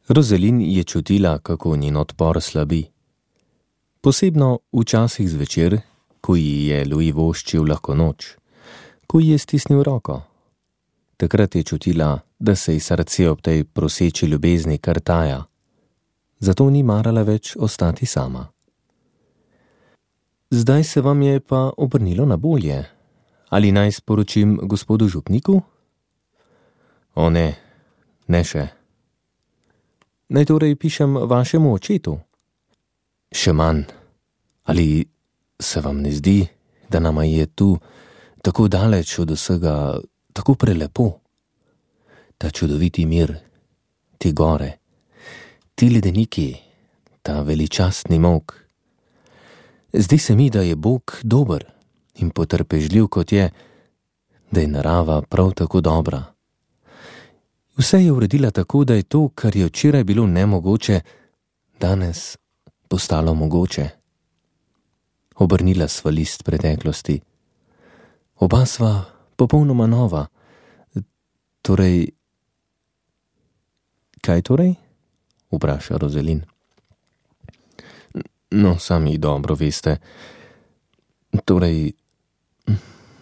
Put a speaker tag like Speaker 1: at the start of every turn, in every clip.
Speaker 1: Rozelin je čutila, kako njen odpor slabi. Posebno včasih zvečer, ko ji je Louis voščil lahko noč, ko ji je stisnil roko. Takrat je čutila, da se ji srce ob tej proseči ljubezni kar taja. Zato ni marala več ostati sama. Zdaj se vam je pa obrnilo na bolje. Ali naj sporočim gospodu župniku? O ne, ne še. Naj torej pišem vašemu očetu? Še manj. Ali se vam ne zdi, da nama je tu tako daleč od vsega, tako prelepo? Ta čudoviti mir, te gore, ti ledeniki, ta veličastni molk. Zdi se mi, da je Bog dober in potrpežljiv kot je, da je narava prav tako dobra. Vse je uredila tako, da je to, kar je včeraj bilo nemogoče, danes postalo mogoče. Obrnila sva list preteklosti. Oba sva popolnoma nova. Torej... Kaj torej? Vpraša Rozelin. No, sami dobro veste. Torej,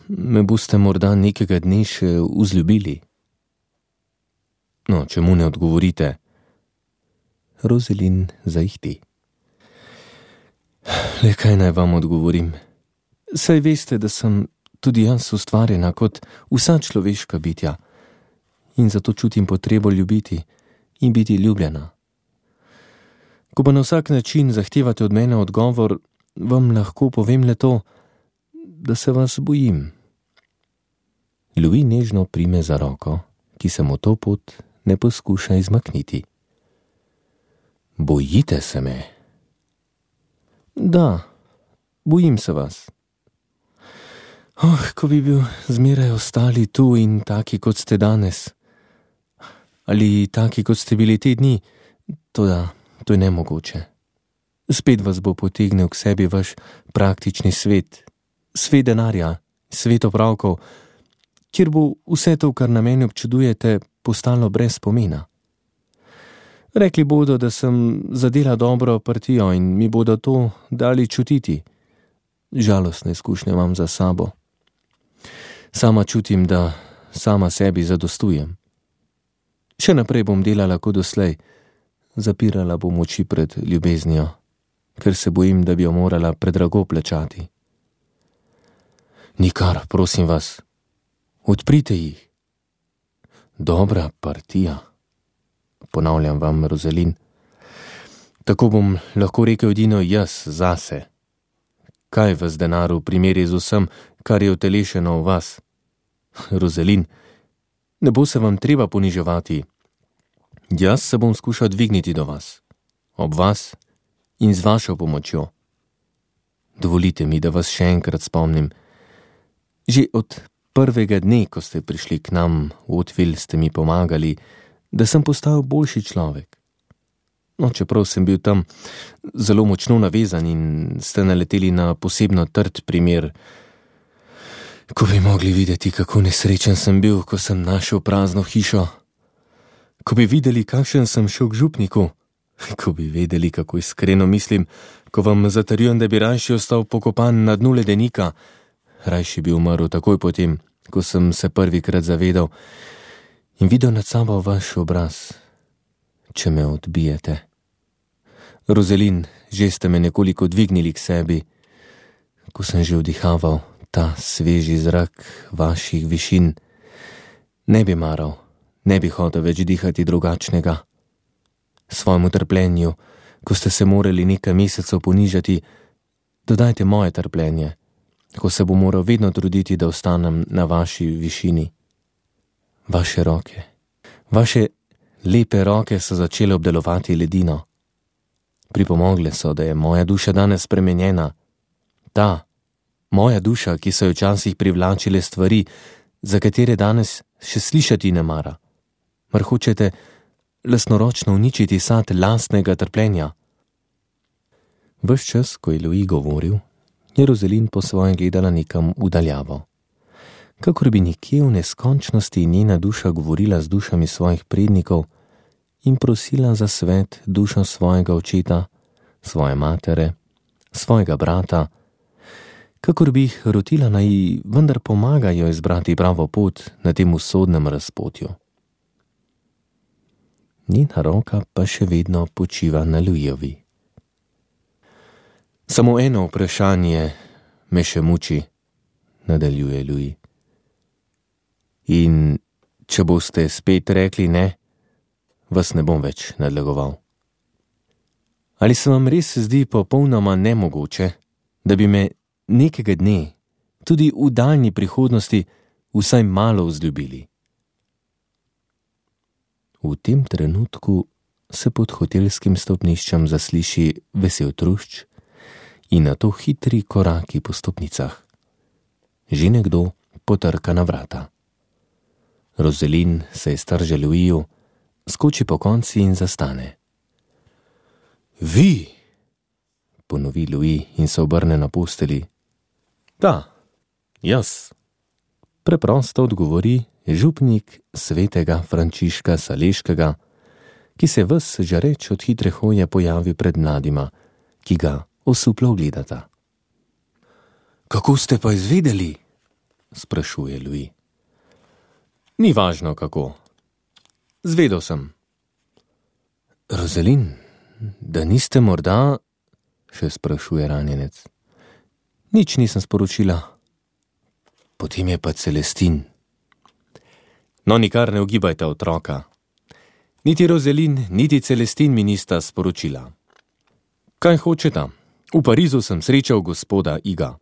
Speaker 1: me boste morda nekega dne še vzljubili. No, čemu ne odgovorite? Rozelin zaihti. Le kaj naj vam odgovorim? Saj veste, da sem tudi jaz ustvarjena kot vsa človeška bitja in zato čutim potrebo ljubiti in biti ljubljena. Ko pa na vsak način zahtevate od mene odgovor, vam lahko povem le to, da se vas bojim. Louis nežno prime za roko, ki se mu to pot ne poskuša izmakniti. Bojite se me? Da, bojim se vas. Ko bi bil zmeraj ostali tu in taki, kot ste danes. Ali taki, kot ste bili te dni, toda to je nemogoče. Spet vas bo potegnil k sebi vaš praktični svet, svet denarja, svet opravkov, kjer bo vse to, kar na meni občudujete, postalo brez pomena. Rekli bodo, da sem zadela dobro partijo in mi bodo to dali čutiti. Žalostne izkušnje imam za sabo. Sama čutim, da sama sebi zadostujem. Še naprej bom delala kot doslej, zapirala bom oči pred ljubeznijo, ker se bojim, da bi jo morala predrago plačati. Nikar, prosim vas, odprite jih. Dobra partija, ponavljam vam, Rozelin. Tako bom lahko rekel edino jaz zase. Kaj vas denar v primeri z vsem, kar je utelešeno v vas? Rozelin, ne bo se vam treba poniževati. Jaz se bom skušal dvigniti do vas, ob vas in z vašo pomočjo. Dovolite mi, da vas še enkrat spomnim. Že od prvega dne, ko ste prišli k nam v Hauteville, ste mi pomagali, da sem postal boljši človek. No, čeprav sem bil tam zelo močno navezan in ste naleteli na posebno trd primer, ko bi mogli videti, kako nesrečen sem bil, ko sem našel prazno hišo, ko bi videli, kakšen sem šel k župniku, ko bi vedeli, kako iskreno mislim, ko vam zatrjujem, da bi rajši ostal pokopan na dnu ledenika, rajši bi umrl takoj potem, ko sem se prvikrat zavedal in videl nad sabo vaš obraz, če me odbijete. Rozelin, že ste me nekoliko dvignili k sebi, ko sem že vdihaval ta sveži zrak vaših višin. Ne bi maral, ne bi hotel več dihati drugačnega. Svojemu trpljenju, ko ste se morali nekaj mesecev ponižati, dodajte moje trpljenje, ko se bo moral vedno truditi, da ostanem na vaši višini. Vaše roke, vaše lepe roke so začele obdelovati ledino. Pripomogle so, da je moja duša danes spremenjena. Ta, moja duša, ki so jo včasih privlačile stvari, za katere danes še slišati ne mara. Mar hočete lastnoročno uničiti sad lastnega trpljenja? Ves čas, ko je Louis govoril, je Rozelin po svojem gledala nekam udaljavo. Kakor bi nekje v neskončnosti njena duša govorila z dušami svojih prednikov in prosila za svet dušo svojega očeta, svoje matere, svojega brata, kakor bi jih rotila, naj vendar pomagajo izbrati pravo pot na tem usodnem razpotju. Njena roka pa še vedno počiva na Louisovi. Samo eno vprašanje me še muči, nadaljuje Louis. In če boste spet rekli ne, vas ne bom več nadlegoval. Ali se vam res zdi popolnoma nemogoče, da bi me nekega dne, tudi v daljni prihodnosti, vsaj malo vzljubili? V tem trenutku se pod hotelskim stopniščem zasliši vesel trušč in nato hitri koraki po stopnicah. Že nekdo potrka na vrata. Rozelin se iztrže Louisu, skoči po konci in zastane. Vi, ponovi Louis in se obrne na posteli. Da, jaz, preprosto odgovori župnik svetega Frančiška Saleškega, ki se ves žareč od hitre hoje pojavi pred mladima, ki ga osuplo gledata. Kako ste pa izvedeli? Sprašuje Louis. Ni važno kako. Zvedel sem. Rozelin, da niste morda, še sprašuje ranjenec. Nič nisem sporočila. Potem je pa Celestin. No, nikar ne ugibajte otroka. Niti Rozelin, niti Celestin mi nista sporočila. Kaj hočeta? V Parizu sem srečal gospoda Iga.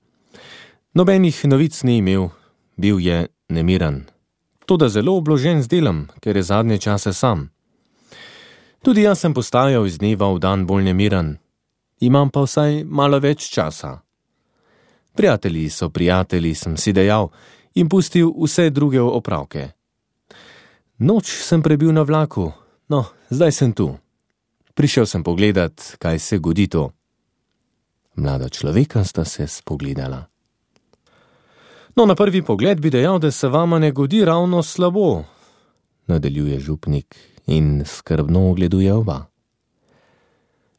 Speaker 1: Nobenih novic ni imel, bil je nemiren. Toda zelo obložen z delom, ker je zadnje čase sam. Tudi jaz sem postajal iz dneva v dan bolj nemiren. Imam pa vsaj malo več časa. Prijatelji so prijatelji, sem si dejal in pustil vse druge opravke. Noč sem prebil na vlaku, no, zdaj sem tu. Prišel sem pogledat, kaj se godi to. Mlada človeka sta se spogledala. No, na prvi pogled bi dejal, da se vama ne godi ravno slabo, nadaljuje župnik in skrbno ogleduje oba.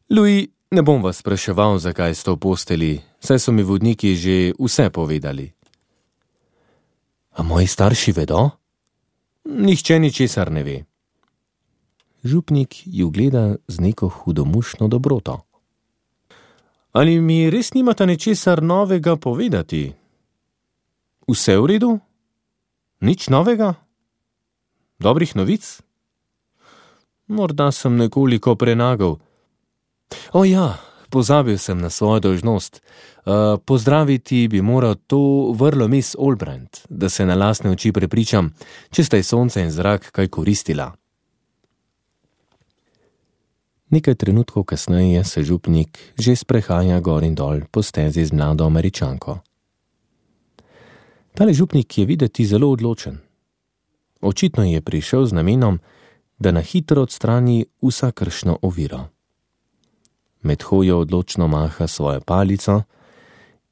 Speaker 1: Louis, ne bom vas spraševal, zakaj ste v posteli, saj so mi vodniki že vse povedali. A moji starši vedo? Nihče ničesar ne ve. Župnik ju gleda z neko hudomušno dobroto. Ali mi res nimata ničesar novega povedati? Vse v redu? Nič novega? Dobrih novic? Morda sem nekoliko prenagal. O ja, pozabil sem na svojo dolžnost. Pozdraviti bi moral to vrlo Miss Olbrand, da se na lastne oči prepričam, če sta ji sonce in zrak kaj koristila. Nekaj trenutkov kasneje se župnik že sprehaja gor in dol po stezi z mlado Američanko. Tale župnik je videti zelo odločen. Očitno je prišel z namenom, da na hitro odstrani vsakršno oviro. Med hojo odločno maha svojo palico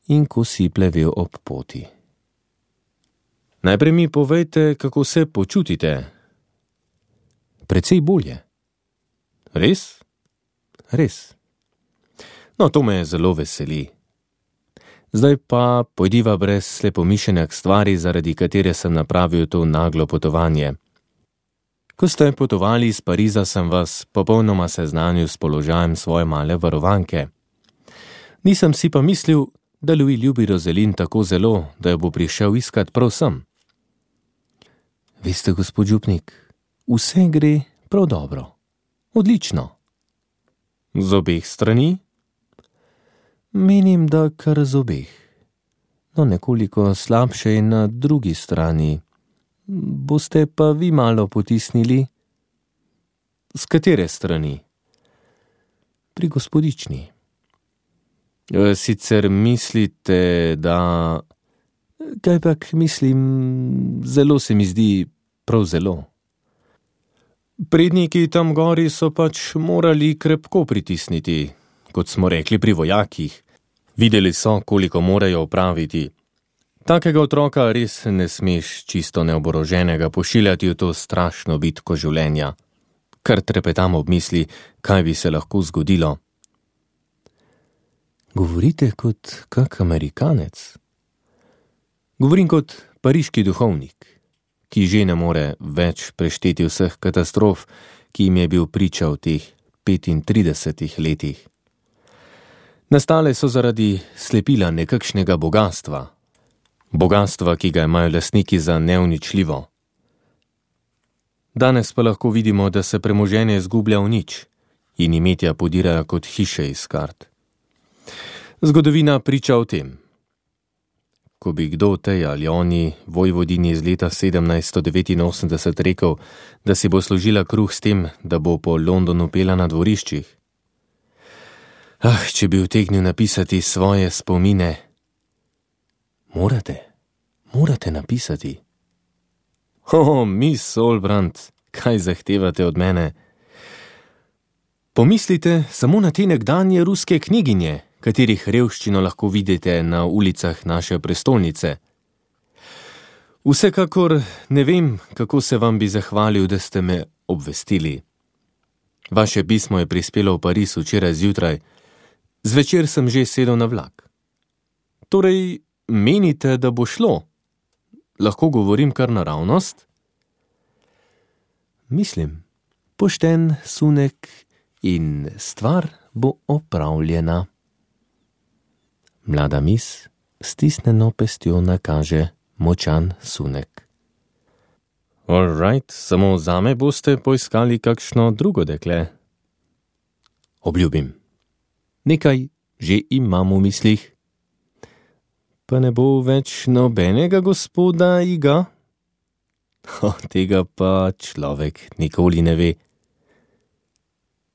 Speaker 1: in kosi plevel ob poti. Najprej mi povejte, kako se počutite. Precej bolje. Res? Res. No, to me zelo veseli. Zdaj pa pojdiva brez slepomišljenja k stvari, zaradi katere sem napravil to naglo potovanje. Ko ste potovali iz Pariza, sem vas popolnoma seznanil s položajem svoje male varovanke. Nisem si pa mislil, da Louis ljubi Rozelin tako zelo, da jo bo prišel iskat prav sem. Veste, gospod župnik, vse gre prav dobro. Odlično. Z obeh strani? Menim, da kar z obeh. No, nekoliko slabše je na drugi strani. Boste pa vi malo potisnili? Z katere strani? Pri gospodični. Sicer mislite, da... Kajpak mislim, zelo se mi zdi, prav zelo. Predniki tam gori so pač morali krepko pritisniti, kot smo rekli pri vojakih. Videli so, koliko morajo opraviti. Takega otroka res ne smeš čisto neoboroženega pošiljati v to strašno bitko življenja. Kar trepetam ob misli, kaj bi se lahko zgodilo. Govorite kot kak Amerikanec. Govorim kot pariški duhovnik, ki že ne more več prešteti vseh katastrof, ki jim je bil priča v teh 35 letih. Nastale so zaradi slepila nekakšnega bogastva. Bogastva, ki ga imajo lastniki za neuničljivo. Danes pa lahko vidimo, da se premoženje izgublja v nič in imetja podirajo kot hiše iz kart. Zgodovina priča o tem. Ko bi kdo tej ali oni vojvodini iz leta 1789 rekel, da si bo služila kruh s tem, da bo po Londonu pela na dvoriščih. Če bi utegnil napisati svoje spomine. Morate napisati. Miss Olbrand, kaj zahtevate od mene? Pomislite samo na te nekdanje ruske kniginje, katerih revščino lahko vidite na ulicah naše prestolnice. Vsekakor ne vem, kako se vam bi zahvalil, da ste me obvestili. Vaše pismo je prispelo v Pariz včeraj zjutraj, zvečer sem že sedel na vlak. Torej, menite, da bo šlo? Lahko govorim kar naravnost? Mislim, pošten sunek in stvar bo opravljena. Mlada mis stisnjeno pestjo nakaže močan sunek. All right, samo zame boste poiskali kakšno drugo dekle. Obljubim. Nekaj že imam v mislih. Pa ne bo več nobenega gospoda Iga? Tega pa človek nikoli ne ve.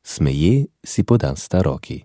Speaker 1: Smeje si podasta roki.